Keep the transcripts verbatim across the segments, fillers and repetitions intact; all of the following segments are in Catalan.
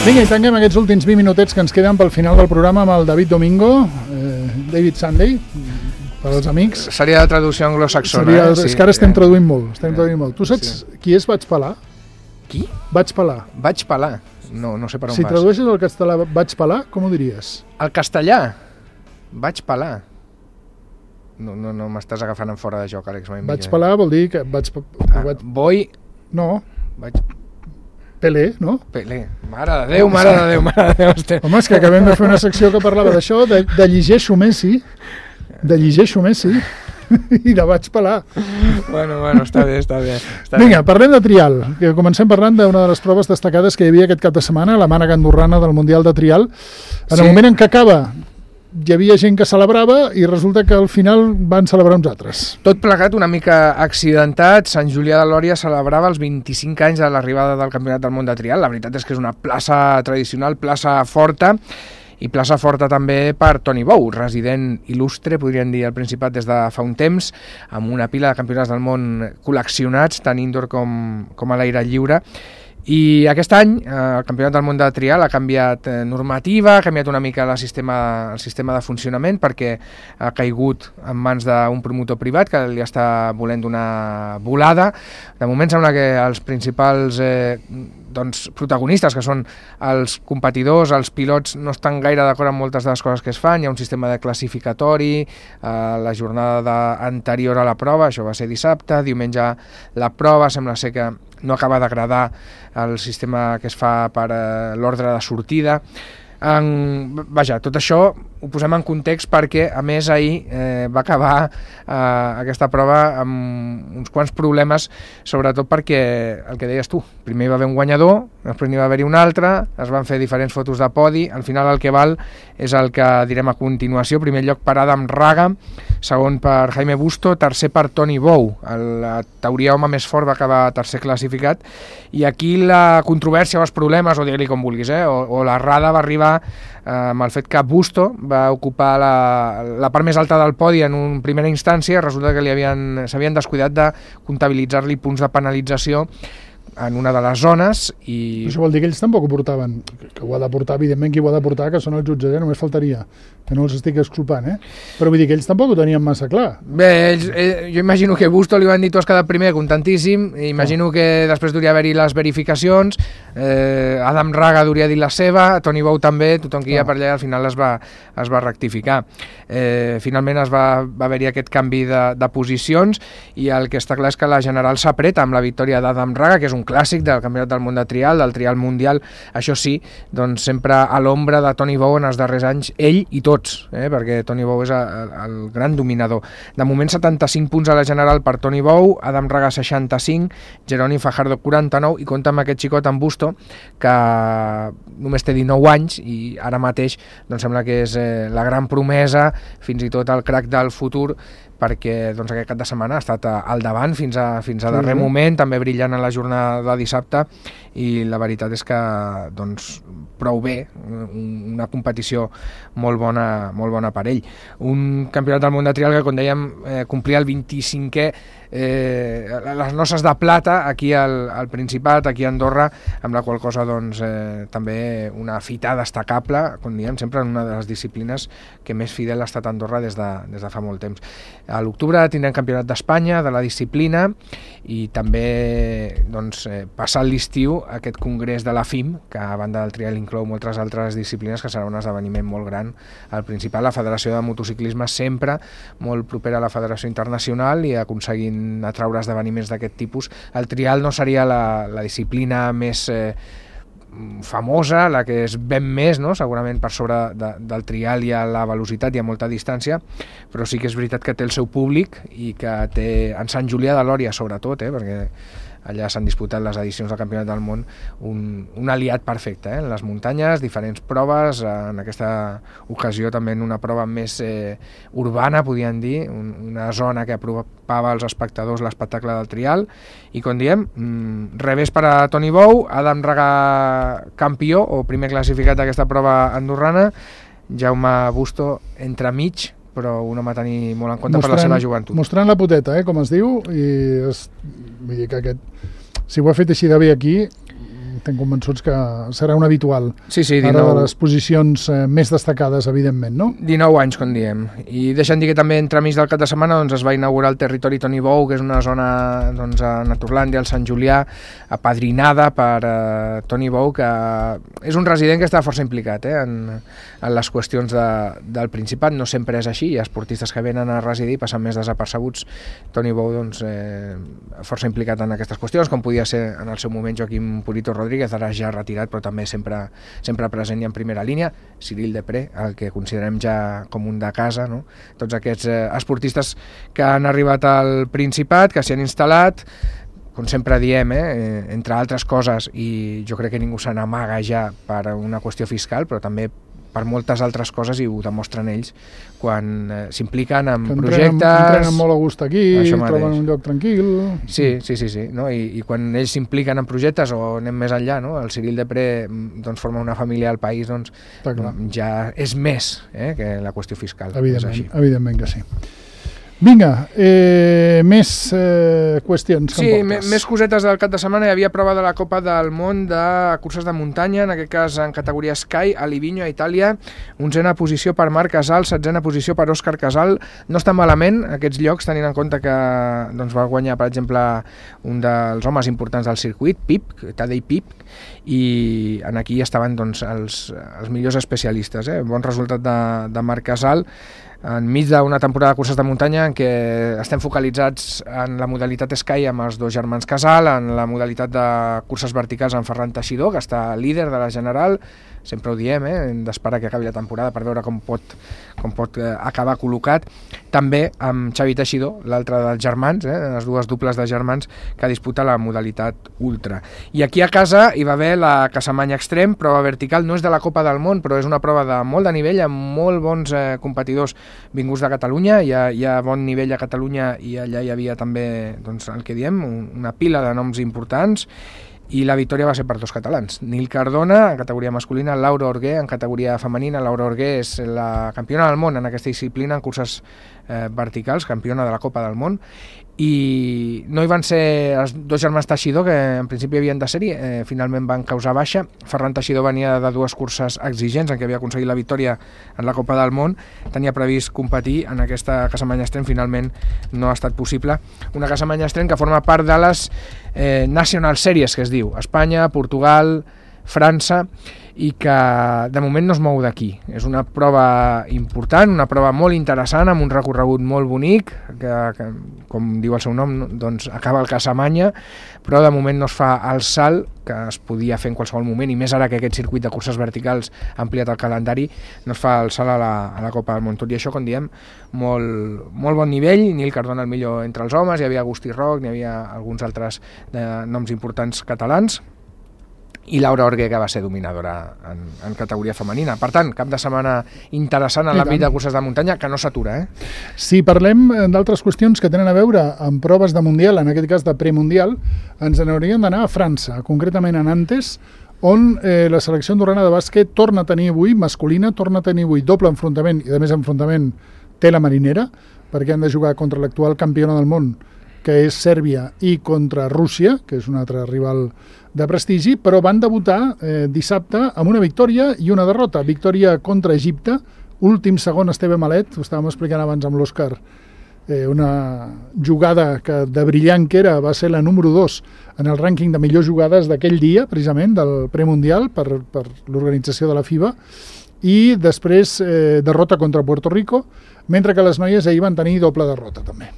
Vinga, i tanquem aquests últims vint minutets que ens queden pel final del programa amb el David Domingo, eh, David Sunday, per als amics. Seria de traducció anglosaxona. Seria, eh? És Sí, que ara estem eh? traduint molt. Estem traduint molt. Tu saps Sí. qui és Vaig pelar? Qui? Vaig pelar. Vaig pelar. No, no sé per on Si vas. tradueixes al castellà Vaig pelar, com ho diries? El castellà? Vaig pelar. No, no, no m'estàs agafant en fora de joc, Àlex. Mai Vaig millor. pelar vol dir que vaig... Ah, vaig... Voy... No, Vaig... pelé, no? Pelé. Mare de Déu, mare de Déu, mare de Déu. Estem... Home, és que acabem de fer una secció que parlava d'això, de, de llegeixo Messi, de llegeixo Messi, i de vaig pelar. Bueno, bueno, està bé, està bé. Està Vinga, bé. parlem de trial, que comencem parlant d'una de les proves destacades que hi havia aquest cap de setmana, la mànega andorrana del Mundial de Trial. En Sí. el moment en què acaba, hi havia gent que celebrava i resulta que al final van celebrar uns altres. Tot plegat una mica accidentat. Sant Julià de Lòria celebrava els vint-i-cinc anys de l'arribada del Campionat del Món de Trial. La veritat és que és una plaça tradicional, plaça forta, i plaça forta també per Toni Bou, resident il·lustre, podríem dir, al Principat des de fa un temps, amb una pila de campionats del món col·leccionats, tant indoor com, com a l'aire lliure. I aquest any eh, el Campionat del Món de Trial ha canviat eh, normativa, ha canviat una mica la sistema, el sistema de funcionament, perquè ha caigut en mans d'un promotor privat que li està volent donar volada. De moment sembla que els principals eh, doncs, protagonistes, que són els competidors, els pilots, no estan gaire d'acord amb moltes de les coses que es fan. Hi ha un sistema de classificatori, eh, la jornada de, anterior a la prova, això va ser dissabte, diumenge la prova, sembla ser que no acaba d'agradar el sistema que es fa per eh, l'ordre de sortida. En, vaja, tot això ho posem en context perquè, a més, ahir eh, va acabar eh, aquesta prova amb uns quants problemes, sobretot perquè, el que deies tu, primer hi va haver un guanyador, després n'hi va haver-hi un altre, es van fer diferents fotos de podi, al final el que val és el que direm a continuació. Primer lloc per Adam Raga, segon per Jaime Busto, tercer per Toni Bou. La teoria home més fort va acabar tercer classificat, i aquí la controvèrsia o els problemes, o digue-li com vulguis, eh, o, o la rada va arribar eh, amb el fet que Busto va ocupar la, la part més alta del podi en una primera instància, i resulta que li havien, s'havien descuidat de comptabilitzar-li punts de penalització en una de les zones. I Això vol dir que ells tampoc ho portaven, que ho ha de portar, evidentment, qui ho ha de portar, que són els jutges, eh? Només faltaria, que no els estic exculpant, eh? Però vull dir que ells tampoc ho tenien massa clar. Bé, ells, eh, jo imagino que Busto li van dir tu has quedat primer, contentíssim, i imagino oh. que després hauria d'haver-hi les verificacions, eh, Adam Raga hauria dit la seva, Toni Bou també, tothom que hi ha per allà al final es va, es va rectificar. Eh, finalment es va, va haver-hi aquest canvi de, de posicions, i el que està clar és que la general s'apreta amb la victòria d'Adam Raga, que és un clàssic del Campionat del Món de Trial, del Trial Mundial. Això sí, doncs sempre a l'ombra de Toni Bou en els darrers anys, ell i tots, eh? perquè Toni Bou és el, el gran dominador. De moment setanta-cinc punts a la general per Toni Bou, Adam Raga seixanta-cinc, Jeroni Fajardo quaranta-nou, i compta amb aquest xicot, en Busto, que només té dinou anys, i ara mateix doncs, sembla que és eh, la gran promesa, fins i tot el crack del futur, perquè doncs, aquest cap de setmana ha estat al davant fins a, fins a darrer sí, moment, també brillant en la jornada de dissabte, i la veritat és que doncs, prou bé, una competició molt bona, molt bona per ell. Un campionat del món de trial que, com dèiem, eh, complia el vint-i-cinquè eh, les noces de plata aquí al, al Principat, aquí a Andorra, amb la qual cosa doncs, eh, també una fita destacable, com diem, sempre en una de les disciplines que més fidel ha estat a Andorra des de, des de fa molt temps. A l'octubre tindrem campionat d'Espanya de la disciplina, i també doncs, eh, passat l'estiu aquest congrés de la F I M, que a banda del trial inclou moltes altres disciplines, que serà un esdeveniment molt gran al Principat. La Federació de Motociclisme sempre molt propera a la Federació Internacional i aconseguint atraure esdeveniments d'aquest tipus. El trial no seria la, la disciplina més eh, famosa, la que es ven més, no? Segurament per sobre de, del trial hi ha la velocitat, hi ha molta distància, però sí que és veritat que té el seu públic, i que té en Sant Julià de Lòria sobretot, eh? perquè allà s'han disputat les edicions del Campionat del Món, un, un aliat perfecte, eh? En les muntanyes, diferents proves, en aquesta ocasió també en una prova més eh, urbana, podríem dir, un, una zona que apropava als espectadors l'espectacle del trial, i com diem, mm, revés per a Toni Bou, Adam Raga campió o primer classificat d'aquesta prova andorrana, Jaume Busto entremig, però un home a tenir molt en compte mostrant, per la seva joventut. Mostrant la poteta, eh, com es diu, i es, vull dir que aquest, si ho ha fet així de bé aquí, estem convençuts que serà un habitual. Sí, sí, dinou... Ara de les posicions eh, més destacades, evidentment, no? dinou anys, com diem. I deixant dir que també entremig del cap de setmana doncs, es va inaugurar el territori Tony Bou, que és una zona doncs, a Naturlàndia, al Sant Julià, apadrinada per eh, Tony Bou, que és un resident que està força implicat eh, en, en les qüestions de, del Principat. No sempre és així, hi ha esportistes que venen a residir i passen més desapercebuts. Tony Bou doncs, eh, força implicat en aquestes qüestions, com podia ser en el seu moment Joaquim Purito Rodríguez, ara ja retirat, però també sempre, sempre present i en primera línia. Cyril Depré, el que considerem ja com un de casa, no? Tots aquests eh, esportistes que han arribat al Principat, que s'hi han instal·lat, com sempre diem, eh, entre altres coses, i jo crec que ningú se n'amaga ja per una qüestió fiscal, però també per moltes altres coses, i ho demostren ells quan eh, s'impliquen en que projectes... Entrenen, entrenen molt a gust aquí, troben un lloc tranquil... Sí, sí, sí, sí. No? I, i quan ells s'impliquen en projectes, o anem més enllà, no? El Cyril Depré doncs, forma una família al país, doncs ja és més eh, que la qüestió fiscal. Evidentment, evidentment que sí. Vinga, eh, més eh, qüestions que sí, em portes. Sí, més cosetes del cap de setmana. Hi havia prova de la Copa del Món de curses de muntanya, en aquest cas en categoria Sky, a Livigno, a Itàlia. Onzena posició per Marc Casal, setzena posició per Òscar Casal. No està malament aquests llocs, tenint en compte que doncs, va guanyar, per exemple, un dels homes importants del circuit, Pip, Tadej Pip, i en aquí estaven doncs, els, els millors especialistes. Eh? Bon resultat de, de Marc Casal, enmig d'una temporada de curses de muntanya en què estem focalitzats en la modalitat Sky amb els dos germans Casal, en la modalitat de curses verticals amb Ferran Teixidor, que està líder de la general. Sempre ho diem, eh? Hem d'esperar que acabi la temporada per veure com pot, com pot eh, acabar col·locat. També amb Xavi Teixidor, l'altre dels germans, eh? les dues duples de germans que disputa la modalitat ultra. I aquí a casa hi va haver la Casamanya Extrem, prova vertical, no és de la Copa del Món, però és una prova de molt de nivell, amb molt bons eh, competidors vinguts de Catalunya. Hi ha, hi ha bon nivell a Catalunya i allà hi havia també doncs, el que diem, una pila de noms importants. I la victòria va ser per dos catalans, Nil Cardona en categoria masculina, Laura Orgué en categoria femenina. Laura Orgué és la campiona del món en aquesta disciplina, en curses eh, verticals, campiona de la Copa del Món, i no hi van ser els dos germans Teixidor, que en principi havien de ser-hi, eh, finalment van causar baixa. Ferran Teixidor venia de dues curses exigents en què havia aconseguit la victòria en la Copa del Món, tenia previst competir en aquesta Casamanya Extrem, finalment no ha estat possible. Una Casamanya Extrem que forma part de les eh, National Series, que es diu Espanya, Portugal, França, i que de moment no es mou d'aquí. És una prova important, una prova molt interessant, amb un recorregut molt bonic, que, que com diu el seu nom, doncs acaba el Casamanya, però de moment no es fa el salt que es podia fer en qualsevol moment, i més ara que aquest circuit de curses verticals ha ampliat el calendari, no es fa el salt a la, a la Copa del Món. Tot i això, com diem, molt, molt bon nivell. Nil Cardona el millor entre els homes, hi havia Agustí Roc, hi havia alguns altres de noms importants catalans, i Laura Orgué, que va ser dominadora en, en categoria femenina. Per tant, cap de setmana interessant en l'àmbit de curses de muntanya, que no s'atura. Eh? Si parlem d'altres qüestions que tenen a veure amb proves de mundial, en aquest cas de premundial, ens n'hauríem d'anar a França, concretament a Nantes, on eh, la selecció andorrana de bàsquet torna a tenir avui, masculina, torna a tenir avui doble enfrontament, i a més enfrontament tela marinera, perquè han de jugar contra l'actual campiona del món, que és Sèrbia, i contra Rússia, que és un altre rival de prestigi, però van debutar eh, dissabte amb una victòria i una derrota. Victòria contra Egipte, últim segon Esteve Malet, ho estàvem explicant abans amb l'Òscar, eh, una jugada que de brillant que era, va ser la número dos en el rànquing de millors jugades d'aquell dia, precisament, del premundial, per, per l'organització de la FIBA, i després eh, derrota contra Puerto Rico, mentre que les noies ahir van tenir doble derrota també.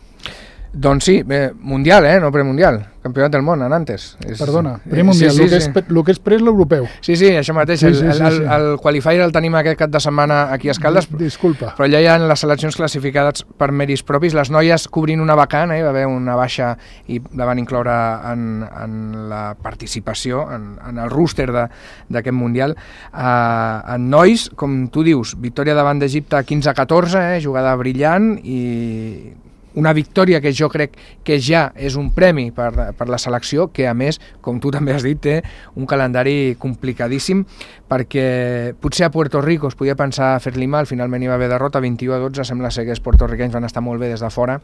Doncs sí, eh, mundial, eh, no premundial, campionat del món a Nantes. És, Perdona, premundial, sí, sí, el, que sí. és, el que és pre és l'europeu. Sí, sí, això mateix, sí, el, sí, sí, el, sí. el, el qualifier el tenim aquest cap de setmana aquí a Escaldes, Disculpa. Però allà hi ha les seleccions classificades per mèrits propis, les noies cobrint una vacant, eh, va haver una baixa i la van incloure en, en la participació, en, en el rooster d'aquest mundial. Uh, en nois, com tu dius, victòria davant d'Egipte quinze a catorze, eh, jugada brillant, i una victòria que jo crec que ja és un premi per, per la selecció, que a més, com tu també has dit, té un calendari complicadíssim, perquè potser a Puerto Rico es podia pensar fer-li mal, finalment hi va haver derrota vint-i-u a dotze, sembla ser que els porto-riquenys van estar molt bé des de fora,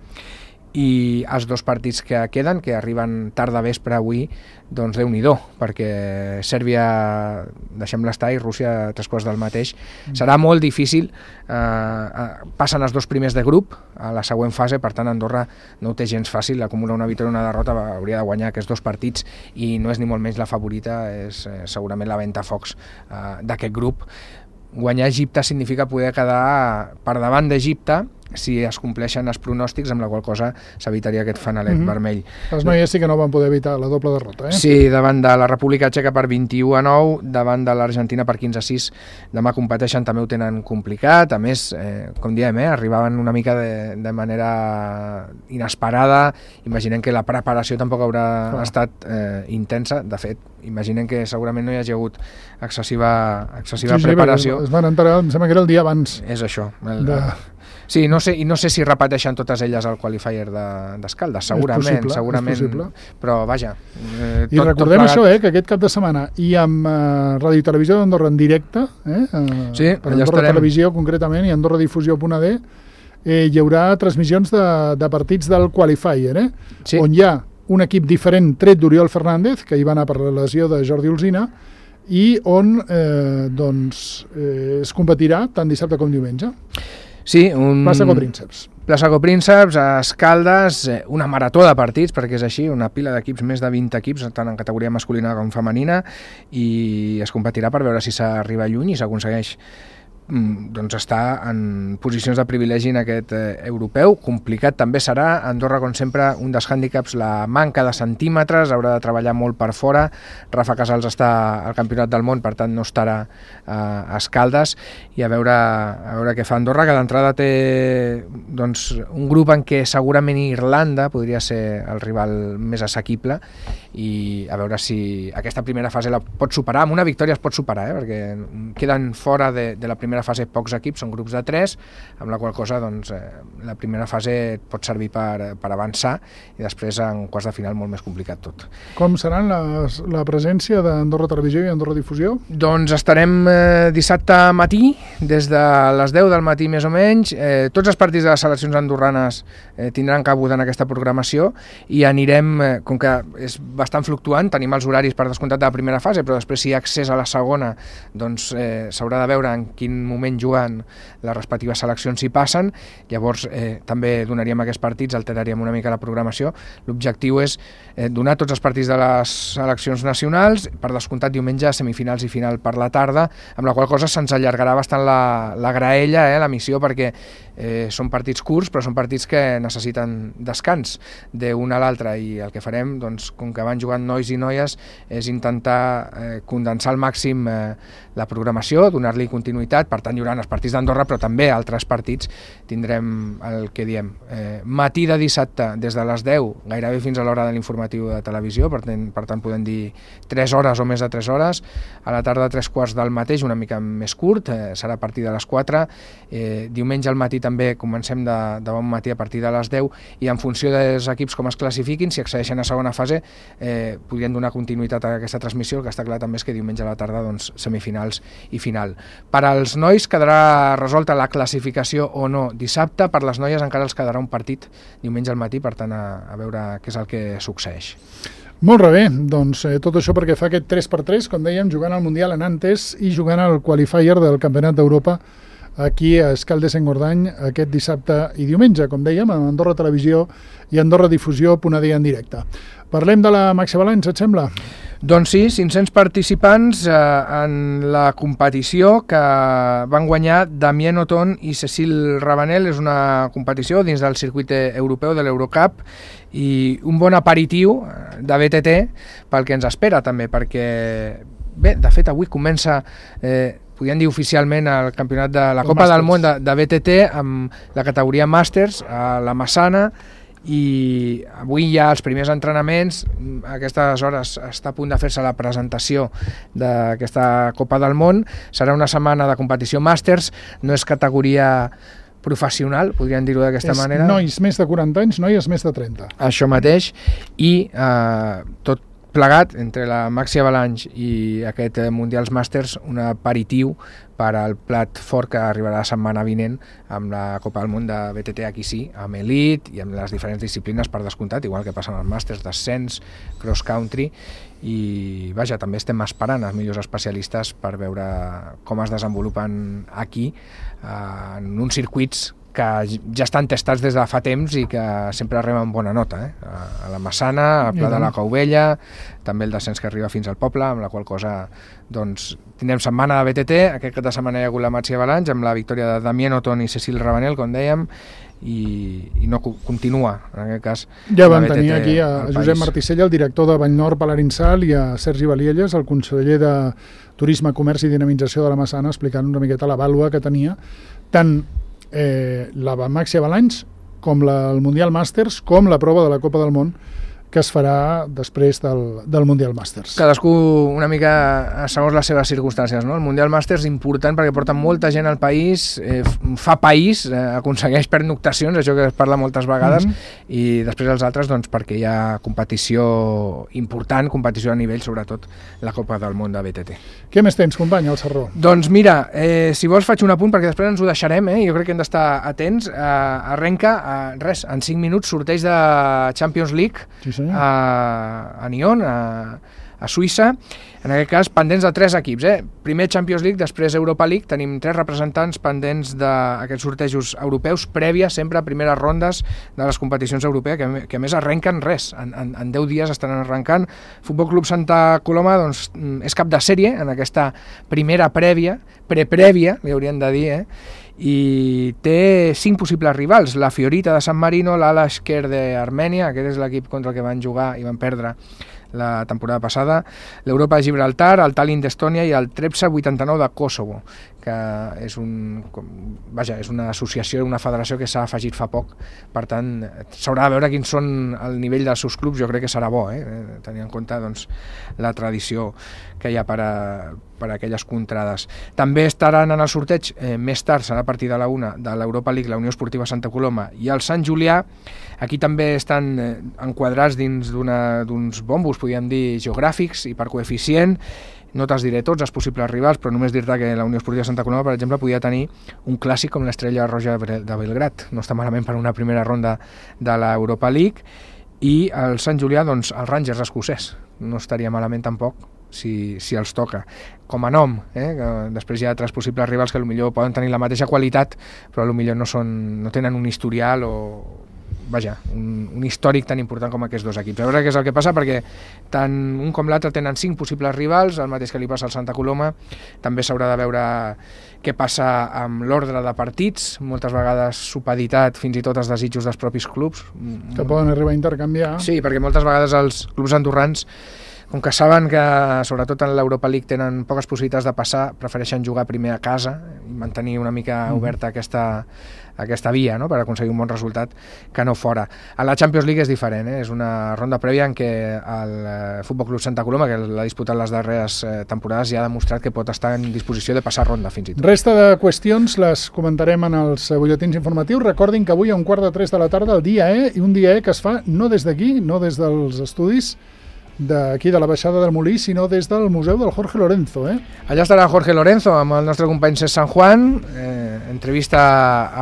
i els dos partits que queden, que arriben tard de vespre avui, doncs Déu-n'hi-do, perquè Sèrbia deixem l'estar i Rússia tres quarts del mateix. Serà molt difícil, eh, passen els dos primers de grup a la següent fase, per tant Andorra no ho té gens fàcil, acumular una victòria i una derrota, hauria de guanyar aquests dos partits i no és ni molt menys la favorita, és eh, segurament la ventafocs eh, d'aquest grup. Guanyar Egipte significa poder quedar per davant d'Egipte si es compleixen els pronòstics, amb la qual cosa s'evitaria aquest fanalet mm-hmm. vermell. Les noies sí que no van poder evitar la doble derrota, eh? Sí, davant de la República Txeca per vint-i-u a nou, davant de l'Argentina per quinze a sis. Demà competeixen, també ho tenen complicat. A més, eh, com diem, eh, arribaven una mica de, de manera inesperada. Imaginem que la preparació tampoc haurà ah. estat eh, intensa. De fet, imaginem que segurament no hi hagi hagut excessiva, excessiva sí, preparació. Sí, es van enterar, em sembla que era el dia abans. És això. El, de... Sí, no sé, i no sé si repeteixen totes elles al qualifier d'Escaldes, de, segurament, és possible, segurament, és possible. Però vaja. Eh, I tot, recordem tot plegat... això, eh, que aquest cap de setmana i amb eh, Ràdio Televisió d'Andorra en directe, eh, sí, per Andorra estarem. Televisió concretament i Andorra Difusió punt a d, eh, hi haurà transmissions de, de partits del qualifier, eh, sí. on hi ha un equip diferent tret d'Oriol Fernández, que hi va anar per la lesió de Jordi Alsina, i on eh, doncs, eh, es competirà tant dissabte com diumenge. Sí, un... Plaça Coprínceps. Plaça Coprínceps, a Escaldes, una marató de partits, perquè és així, una pila d'equips, més de vint equips, tant en categoria masculina com femenina, i es competirà per veure si s'arriba lluny i s'aconsegueix doncs estar en posicions de privilegi en aquest eh, europeu. Complicat també serà. Andorra, com sempre, un dels hàndicaps, la manca de centímetres, haurà de treballar molt per fora. Rafa Casals està al Campionat del Món, per tant no estarà eh, a Escaldes, i a veure, a veure què fa Andorra, que d'entrada té doncs, un grup en què segurament Irlanda podria ser el rival més assequible, i a veure si aquesta primera fase la pot superar. Amb una victòria es pot superar, eh, perquè queden fora de, de la primera fase pocs equips, són grups de tres, amb la qual cosa doncs, eh, la primera fase pot servir per, per avançar, i després en quarts de final molt més complicat tot. Com seran les, la presència d'Andorra Televisió i Andorra Difusió? Doncs estarem eh, dissabte matí, des de les deu del matí més o menys. Eh, tots els partits de les seleccions andorranes eh, tindran cabuda en aquesta programació, i anirem, eh, com que és bastant fluctuant, tenim els horaris per descomptat de la primera fase, però després si hi ha accés a la segona, doncs eh, s'haurà de veure en quin moment jugant les respectives seleccions si passen. Llavors eh, també donaríem aquests partits, alteraríem una mica la programació. L'objectiu és eh, donar tots els partits de les seleccions nacionals, per descomptat diumenge semifinals i final per la tarda, amb la qual cosa se'ns allargarà bastant la, la graella, eh, la missió, perquè eh, són partits curts, però són partits que necessiten descans d'un a l'altre, i el que farem, doncs, com que van jugant nois i noies, és intentar eh, condensar al màxim eh, la programació, donar-li continuïtat. Per tant, hi haurà els partits d'Andorra, però també altres partits. Tindrem el que diem eh, matí de dissabte des de les deu gairebé fins a l'hora de l'informatiu de televisió, per tant, per tant podem dir tres hores o més de tres hores. A la tarda tres quarts del mateix, una mica més curt, eh, serà a partir de les quatre. Eh, diumenge al matí també comencem de, de bon matí a partir de les deu, i en funció dels equips com es classifiquin, si accedeixen a segona fase, eh, podrien donar continuïtat a aquesta transmissió. El que està clar també és que diumenge a la tarda doncs, semifinals i final. Per als nois quedarà resolta la classificació o no dissabte, per les noies encara els quedarà un partit diumenge al matí, per tant a, a veure què és el que succeeix. Molt bé, doncs eh, tot això perquè fa aquest tres per tres, com dèiem, jugant al Mundial a Nantes i jugant al qualifier del Campionat d'Europa aquí a Escaldes-Engordany aquest dissabte i diumenge, com dèiem, a Andorra Televisió i Andorra Difusió punt a d en directe. Parlem de la Maxi Balanç, et sembla? Doncs sí, cinc-cents participants eh, en la competició, que van guanyar Damien Oton i Cecil Rabanel. És una competició dins del circuit europeu de l'Eurocup, i un bon aperitiu de B T T pel que ens espera també, perquè bé, de fet avui comença eh, podríem dir oficialment el campionat de la Copa del Món de, de B T T amb la categoria Màsters a la Massana, i avui hi ha els primers entrenaments. A aquestes hores està a punt de fer-se la presentació d'aquesta Copa del Món. Serà una setmana de competició Màsters, no és categoria professional, podríem dir-ho d'aquesta manera. Nois més de quaranta anys, noies més de trenta. Això mateix, i eh, tot plegat, entre la Maxi Avalanche i aquest Mundials Masters, un aperitiu per al plat fort que arribarà la setmana vinent amb la Copa del Món de B T T aquí sí, amb Elite i amb les diferents disciplines per descomptat, igual que passa amb els Masters d'ascens, cross country, i vaja, també estem esperant els millors especialistes per veure com es desenvolupen aquí eh, en uns circuits que ja estan testats des de fa temps i que sempre remen bona nota, eh? a la Massana, a Pla de la Caubella, també el descens que arriba fins al poble, amb la qual cosa doncs, tindrem setmana de B T T, aquest cap de setmana hi ha hagut la Maxi Avalanche, amb la victòria de Damien Oton i Cecil Rabanel, com dèiem, i, i no continua, en aquest cas. Ja vam tenir aquí a Josep Marticella, el director de Vallnord Palarinsal, i a Sergi Balielles, el conseller de Turisme, Comerç i Dinamització de la Massana, explicant una miqueta la vàlua que tenia, tant Eh, la Maxi Avalanche com la, el Mundial Masters, com la prova de la Copa del Món que es farà després del, del Mundial Masters. Cadascú una mica segons les seves circumstàncies, no? El Mundial Masters és important perquè porta molta gent al país, eh, fa país, eh, aconsegueix pernoctacions, això que es parla moltes vegades, mm-hmm. i després els altres doncs, perquè hi ha competició important, competició a nivell, sobretot la Copa del Món de B T T. Què més tens, company, al Sarró? Doncs mira, eh, si vols faig un apunt perquè després ens ho deixarem, eh? Jo crec que hem d'estar atents. Eh, arrenca, eh, res, en cinc minuts sorteig de Champions League, sí, a, a Nyon, a, a Suïssa, en aquest cas pendents de tres equips, eh? Primer Champions League, després Europa League, tenim tres representants pendents d'aquests sortejos europeus, prèvia sempre a primeres rondes de les competicions europees, que, que a més arrenquen res, en, en, en deu dies estaran arrencant. Futbol Club Santa Coloma doncs, és cap de sèrie en aquesta primera prèvia, preprèvia, li haurien de dir, eh? I té cinc possibles rivals, la Fiorita de San Marino, l'Alashkert d'Armènia, aquest és l'equip contra el que van jugar i van perdre la temporada passada, l'Europa de Gibraltar, el Tallinn d'Estònia i el Trepça vuitanta-nou de Kosovo, que és, un, com, vaja, és una associació, una federació que s'ha afegit fa poc, per tant s'haurà de veure quins són el nivell dels seus clubs, jo crec que serà bo, eh? tenint en compte doncs, la tradició que hi ha per a, per a aquelles contrades. També estaran en el sorteig, eh, més tard, serà a partir de la una, de l'Europa League, la Unió Esportiva Santa Coloma i el Sant Julià. Aquí també estan eh, enquadrats dins d'uns bombos, podríem dir, geogràfics i per coeficient. No te'ls diré tots els possibles rivals, però només dir-te que la Unió Esportiva Santa Coloma, per exemple, podia tenir un clàssic com l'Estrella Roja de Belgrat. No està malament per una primera ronda de l'Europa League. I el Sant Julià, doncs, el Rangers escocès. No estaria malament tampoc si, si els toca. Com a nom, eh? Que després hi ha altres possibles rivals que potser poden tenir la mateixa qualitat, però potser no, són, no tenen un historial o... vaja, un, un històric tan important com aquests dos equips. A veure què és el que passa, perquè tant un com l'altre tenen cinc possibles rivals, el mateix que li passa al Santa Coloma. També s'haurà de veure què passa amb l'ordre de partits, moltes vegades supeditat fins i tot als desitjos dels propis clubs. Que poden arribar a intercanviar. Sí, perquè moltes vegades els clubs andorrans, com que saben que sobretot en l'Europa League tenen poques possibilitats de passar, prefereixen jugar primer a casa i mantenir una mica oberta aquesta, aquesta via, no?, per aconseguir un bon resultat que no fora. A la Champions League és diferent, eh? És una ronda prèvia en què el Futbol Club Santa Coloma, que l'ha disputat les darreres temporades, ja ha demostrat que pot estar en disposició de passar ronda fins i tot. Resta de qüestions les comentarem en els butlletins informatius. Recordin que avui a un quart de tres de la tarda el dia E, i un dia E que es fa no des d'aquí, no des dels estudis d'aquí de la baixada del Molí, sinó des del Museu del Jorge Lorenzo. Eh? Allà estarà Jorge Lorenzo amb el nostre company Cesc San Juan, eh, entrevista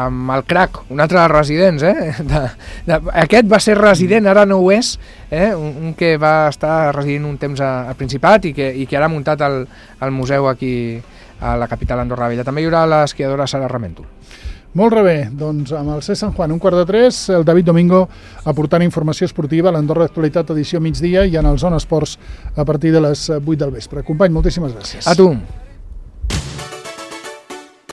amb el crac, un altre dels residents. Eh? De, de, aquest va ser resident, ara no ho és, eh? un, un que va estar residint un temps a, al Principat i que, i que ara ha muntat el, el museu aquí a la capital Andorra Vella. També hi haurà l'esquiadora Sara Ramèntol. Molt bé, doncs amb el Cesc San Juan, un quart de tres, el David Domingo aportant informació esportiva a l'Andorra Actualitat edició migdia i en el Zona Esports a partir de les vuit del vespre. Company, moltíssimes gràcies. A tu.